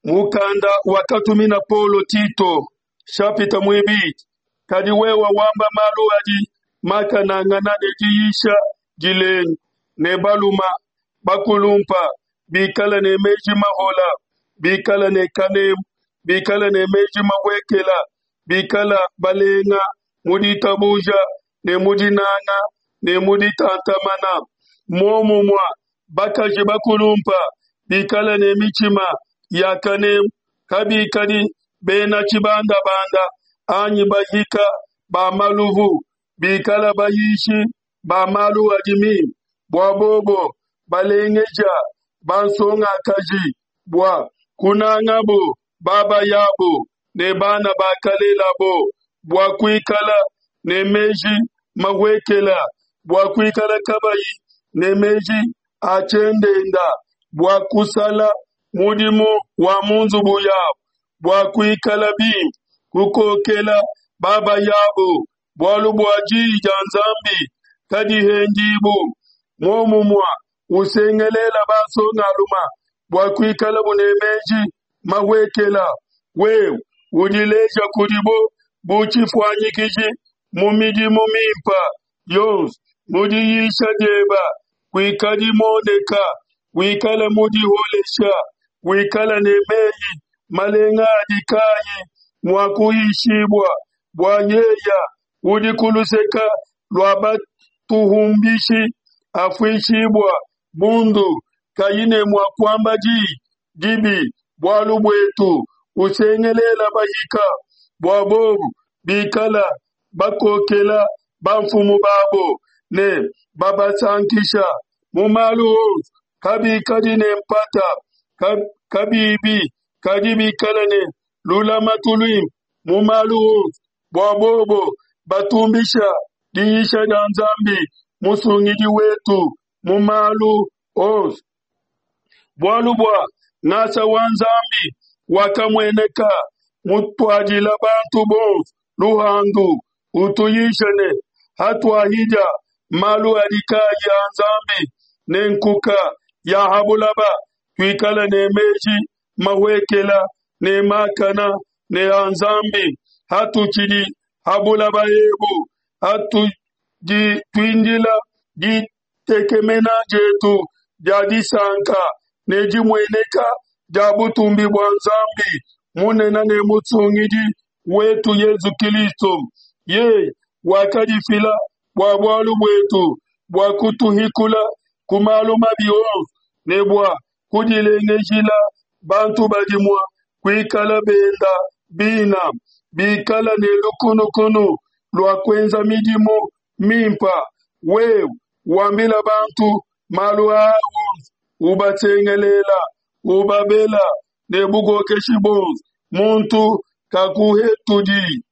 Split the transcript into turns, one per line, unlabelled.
Mukanda wakatumina Paulo Tito, shapita muibidi. Kadi wewe wamba malu adi makanangana ne diyisha dilenga, ne baluma bakulumpa bikala ne meji mahola, bikala ne kanemu, bikala ne meji mahuekela, bikala balenga mu ditabuja ne mu dinanga ne mu ditantamana. Muomumue bakaji bakulumpa bikala ne mitshima ya kanemu, kabikadi bena tshibandabanda anyi bahika ba maluvu, bikala bayishi ba malu adi mimpe, bua bobo balengeja bansongakaji bua kunangabo babayabo ne bana bakalelabo, bua kuikala ne meji mahuekela, bua kuikala kabayi ne meji a tshiendenda, bua kusala mudimu wa mu nzubu yabo, bua kuikala bimpe, kukokela babayabo, bualu bua diyi dia Nzambi kadihendibu. Muomumue usengelela bansongaluma bua kuikalabu ne meji mahuekela, wewe udileja kudibo bu tshifuanyikiji mu midimu mimpe yonso, mu diyisha dieba kuikadi muoneka, wikale mudiholesha, wikale ne meyi malenga adi kayi mua kuhishibua, bua yeya udi ku luseke lua batuhumbishi afuishibua bundu, kayi ne mua kuamba diyi dibi bualu buetu, usengelela bahika bua bobu bikala bakokela bamfumu babo ne babasankisha mu malu onso, kabikadi ne mpata kabibi, kadi bikala ne lulamatu luimpe mu malu onso, bua bobo batumbisha diyisha dia Nzambi Musungidi wetu mu malu onso. Bualu bua ngasa wa Nzambi wakamueneka, mutuadila bantu bonso luhandu, utuyisha ne, hatuahidia malu adi kayi a Nzambi ne nkuka ya ha bulaba, tuikale ne meji mahuekela ne makana ne a Nzambi, hatutshidi ha bulaba ebu, hatudi tuindila ditekemena dietu dia disanka ne dimueneka dia butumbi bua Nzambi munene ne Musungidi wetu Yezu Kilisto. Yeye wakadifila bua bualu buetu, bua kutuhikula ku malu mabi onso ne bua kudilengejila bantu badi mua kuikala benda bina, bikala ne lukunukunu lua kuenza midimu mimpa. Wewe wambila bantu malu aa onso, ubasengelela, ubabela ne bukokeshi buonso, muntu kakuhetudi.